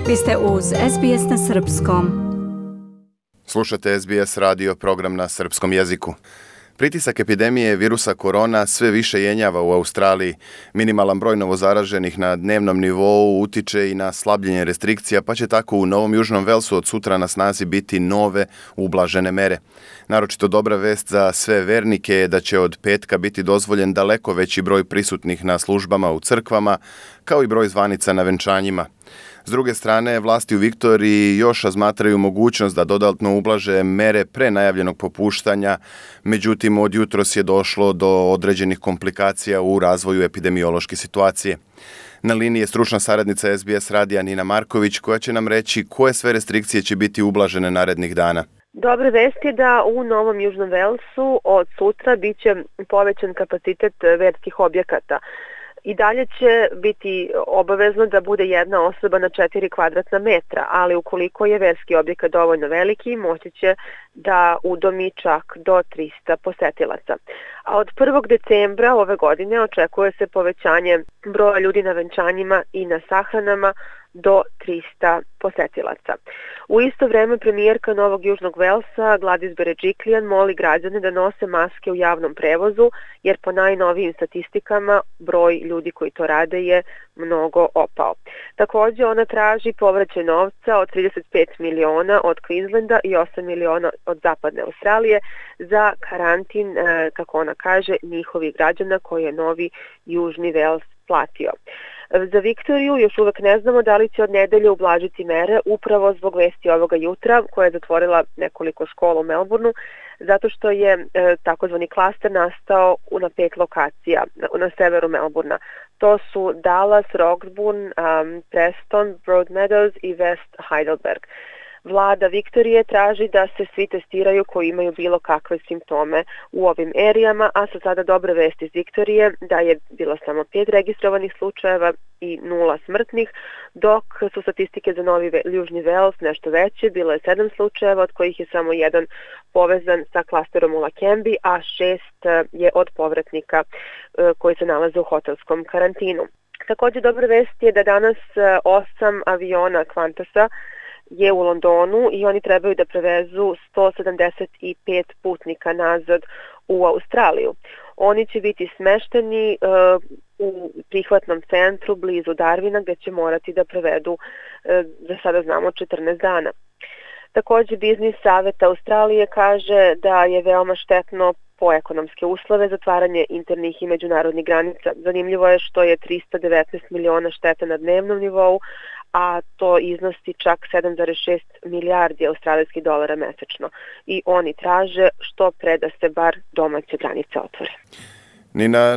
Vi ste uz SBS na Srpskom. Slušate SBS radio, program na srpskom jeziku. Pritisak epidemije virusa korona sve više jenjava u Australiji. Minimalan broj novozaraženih na dnevnom nivou utiče i na slabljenje restrikcija, pa će tako u Novom Južnom Velsu od sutra na snazi biti nove ublažene mere. Naročito dobra vest za sve vernike je da će od petka biti dozvoljen daleko veći broj prisutnih na službama u crkvama, kao i broj zvanica na venčanjima. S druge strane, vlasti u Viktoriji još razmatraju mogućnost da dodatno ublaže mere pre najavljenog popuštanja, međutim od jutros je došlo do određenih komplikacija u razvoju epidemiološke situacije. Na liniji je stručna saradnica SBS radija Nina Marković koja će nam reći koje sve restrikcije će biti ublažene narednih dana. Dobre vesti je da u Novom Južnom Velsu od sutra biće povećan kapacitet verskih objekata. I dalje će biti obavezno da bude jedna osoba na 4 kvadratna metra, ali ukoliko je verski objekat dovoljno veliki, moći će da udomi čak do 300 posetilaca. A od 1. decembra ove godine očekuje se povećanje broja ljudi na venčanjima i na sahranama do 300 posetilaca. U isto vreme premijerka Novog Južnog Velsa Gladys Berejiklian moli građane da nose maske u javnom prevozu, jer po najnovijim statistikama broj ljudi koji to rade je mnogo opao. Također ona traži povraćaj novca od 35 miliona od Queenslanda i 8 miliona od zapadne Australije za karantin, kako ona kaže, njihovih građana koje je Novi Južni Vels platio. Za Viktoriju još uvek ne znamo da li će od nedelje ublažiti mere upravo zbog vesti ovoga jutra koja je zatvorila nekoliko škola u Melbourneu, zato što je takozvani klaster nastao na 5 lokacija na severu Melbournea. To su Dallas, Roxburgh, Preston, Broadmeadows i West Heidelberg. Vlada Viktorije traži da se svi testiraju koji imaju bilo kakve simptome u ovim erijama, a sa sada dobre vesti iz Viktorije da je bilo samo 5 registrovanih slučajeva i 0 smrtnih, dok su statistike za Novi Južni Vels nešto veće, bilo je 7 slučajeva od kojih je samo 1 povezan sa klasterom u Lakembi, a 6 je od povratnika koji se nalaze u hotelskom karantinu. Također dobra vest je da danas 8 aviona Qantasa je u Londonu i oni trebaju da prevezu 175 putnika nazad u Australiju. Oni će biti smešteni u prihvatnom centru blizu Darwina gdje će morati da prevedu, za sada znamo, 14 dana. Također Biznis savjet Australije kaže da je veoma štetno po ekonomske uslove zatvaranje internih i međunarodnih granica. Zanimljivo je što je 319 miliona štete na dnevnom nivou, a to iznosi čak 7,6 milijardi australijskih dolara mesečno. I oni traže što pre da se bar domaće granice otvore.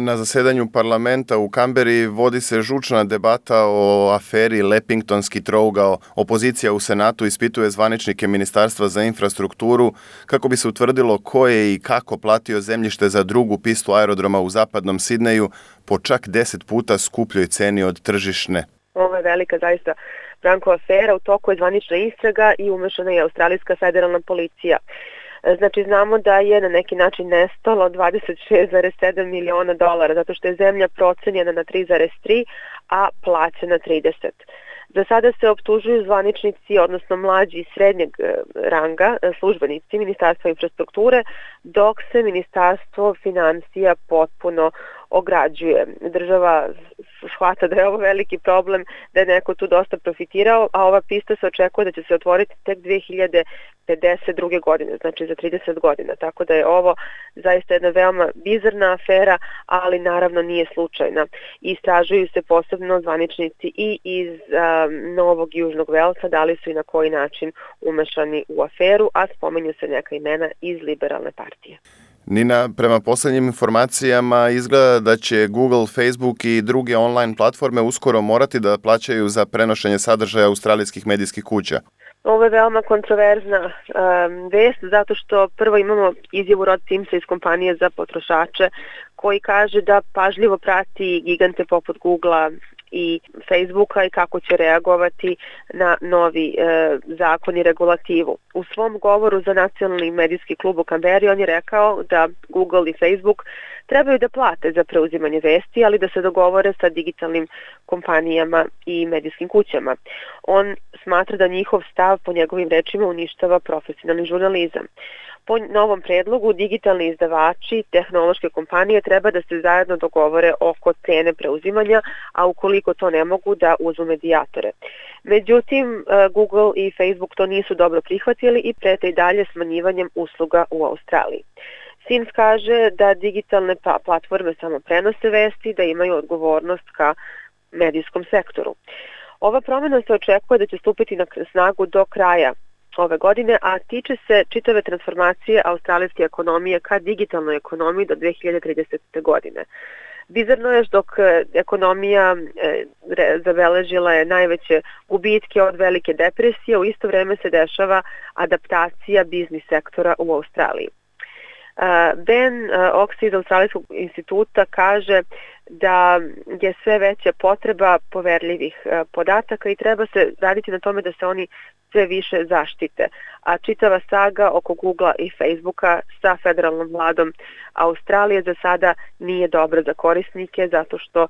Na zasedanju parlamenta u Kamberi vodi se žučna debata o aferi Lepingtonski trougao. Opozicija u Senatu ispituje zvaničnike Ministarstva za infrastrukturu kako bi se utvrdilo ko je i kako platio zemljište za drugu pistu aerodroma u zapadnom Sidneju po čak 10 puta skupljoj ceni od tržišne. Ovo je velika zaista Branko afera, u toku je zvanična istraga i umešana je australijska federalna policija. Znači znamo da je na neki način nestalo 26,7 miliona dolara zato što je zemlja procenjena na 3,3, a plaćena 30. Za sada se optužuju zvaničnici, odnosno mlađi i srednjeg ranga, službenici Ministarstva infrastrukture, dok se Ministarstvo financija potpuno ograđuje. Država shvata da je ovo veliki problem, da je neko tu dosta profitirao, a ova pista se očekuje da će se otvoriti tek 2052. godine, znači za 30 godina. Tako da je ovo zaista jedna veoma bizarna afera, ali naravno nije slučajna. Istražuju se posebno zvaničnici i iz Novog Južnog Velsa, da li su i na koji način umešani u aferu, a spomenju se neka imena iz liberalne partije. Nina, prema posljednjim informacijama izgleda da će Google, Facebook i druge online platforme uskoro morati da plaćaju za prenošenje sadržaja australijskih medijskih kuća. Ovo je veoma kontroverzna vest, zato što prvo imamo izjavu Rod Simsa iz kompanije za potrošače koji kaže da pažljivo prati gigante poput Googlea i Facebooka i kako će reagovati na novi zakon i regulativu. U svom govoru za nacionalni medijski klub u Kamberi on je rekao da Google i Facebook trebaju da plate za preuzimanje vesti, ali da se dogovore sa digitalnim kompanijama i medijskim kućama. On smatra da njihov stav, po njegovim rečima, uništava profesionalni žurnalizam. Po novom predlogu, digitalni izdavači i tehnološke kompanije treba da se zajedno dogovore oko cene preuzimanja, a ukoliko to ne mogu, da uzmu medijatore. Međutim, Google i Facebook to nisu dobro prihvatili i prete i dalje smanjivanjem usluga u Australiji. SINS kaže da digitalne platforme samo prenose vesti, da imaju odgovornost ka medijskom sektoru. Ova promjena se očekuje da će stupiti na snagu do kraja ove godine, a tiče se čitave transformacije australijske ekonomije ka digitalnoj ekonomiji do 2030. godine. Bizarno je dok ekonomija zabeležila je najveće gubitke od velike depresije, u isto vreme se dešava adaptacija biznis sektora u Australiji. Ben Oxy iz Australijskog instituta kaže da je sve veća potreba poverljivih podataka i treba se raditi na tome da se oni sve više zaštite. A čitava saga oko Googlea i Facebooka sa federalnom vladom Australije za sada nije dobra za korisnike, zato što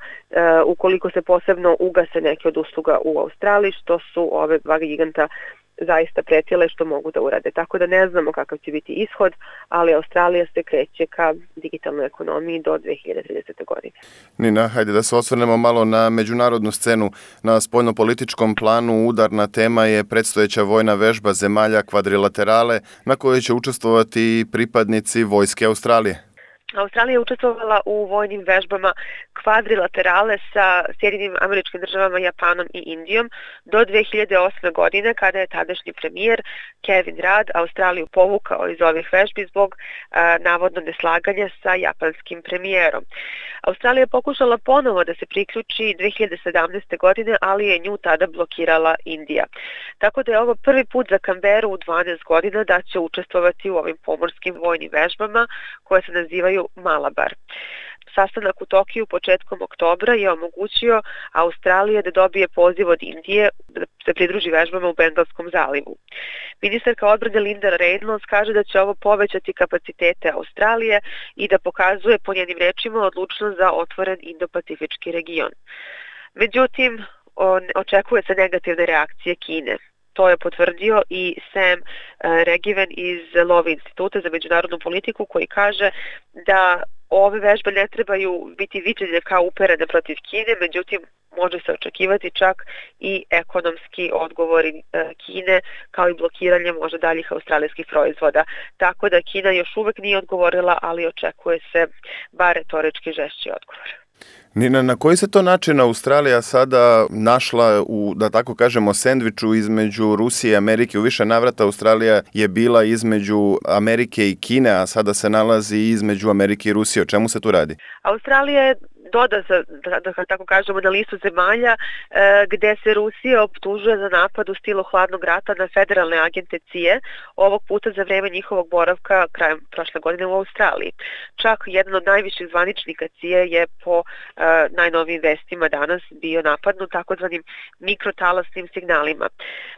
ukoliko se posebno ugase neke od usluga u Australiji, što su ove dva giganta zaista pretile što mogu da urade. Tako da ne znamo kakav će biti ishod, ali Australija se kreće ka digitalnoj ekonomiji do 2030. godine. Nina, hajde da se osvrnemo malo na međunarodnu scenu. Na spoljnopolitičkom planu udarna tema je predstojeća vojna vežba zemalja kvadrilaterale na kojoj će učestvovati pripadnici vojske Australije. Australija je učestvovala u vojnim vežbama kvadrilaterale sa Sjedinim Američkim Državama, Japanom i Indijom do 2008. godine, kada je tadašnji premijer Kevin Rudd Australiju povukao iz ovih vežbi zbog navodno neslaganja sa japanskim premijerom. Australija je pokušala ponovo da se priključi 2017. godine, ali je nju tada blokirala Indija. Tako da je ovo prvi put za Canberru u 12 godina da će učestvovati u ovim pomorskim vojnim vežbama koje se nazivaju Malabar. Sastanak u Tokiju početkom oktobra je omogućio Australiji da dobije poziv od Indije da se pridruži vežbama u Bengalskom zalivu. Ministarka odbrane Linda Reynolds kaže da će ovo povećati kapacitete Australije i da pokazuje po njenim rečima odlučnost za otvoren Indo-Pacifički region. Međutim, očekuje se negativne reakcije Kine. To je potvrdio i Sam Regiven iz Lowy instituta za međunarodnu politiku, koji kaže da ove vežbe ne trebaju biti viđene kao uperene protiv Kine, međutim može se očekivati čak i ekonomski odgovori Kine, kao i blokiranje možda daljih australijskih proizvoda. Tako da Kina još uvek nije odgovorila, ali očekuje se bar retorički žešći odgovor. Nina, na koji se to način Australija sada našla u, da tako kažemo, sendviču između Rusije i Amerike? U više navrata Australija je bila između Amerike i Kine, a sada se nalazi između Amerike i Rusije. O čemu se tu radi? Australija je da tako kažemo, na listu zemalja gde se Rusija optužuje za napad u stilu hladnog rata na federalne agente CIA, ovog puta za vreme njihovog boravka krajem prošle godine u Australiji. Čak jedan od najviših zvaničnika CIA je po najnovijim vestima danas bio napadnut takozvanim mikrotalasnim signalima.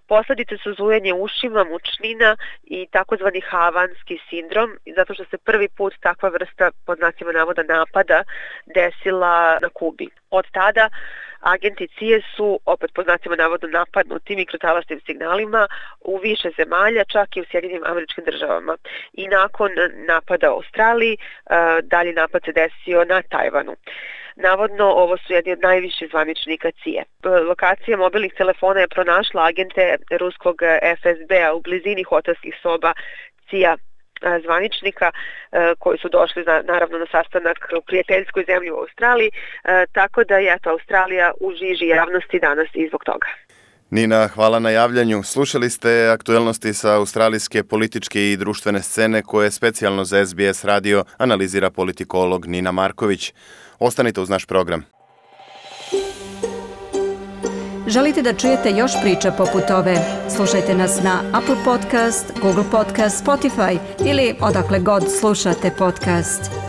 Posledice su zujanje ušima, mučnina i takozvani havanski sindrom, zato što se prvi put takva vrsta, pod znacima navoda, napada desila na Kubi. Od tada agenti CIA su, opet po znacima navodno, napadnuti mikrotalasnim signalima u više zemalja, čak i u Sjedinim Američkim Državama. I nakon napada u Australiji, dalji napad se desio na Tajvanu. Navodno, ovo su jedni od najviših zvaničnika CIA. Lokacija mobilnih telefona je pronašla agente ruskog FSB-a u blizini hotelskih soba CIA zvaničnika koji su došli naravno na sastanak u prijateljskoj zemlji u Australiji, tako da je Australija u žiži javnosti danas i zbog toga. Nina, hvala na javljanju. Slušali ste aktuelnosti sa australijske političke i društvene scene koje specijalno za SBS radio analizira politikolog Nina Marković. Ostanite uz naš program. Želite da čujete još priča poput ove? Slušajte nas na Apple Podcast, Google Podcast, Spotify ili odakle god slušate podcast.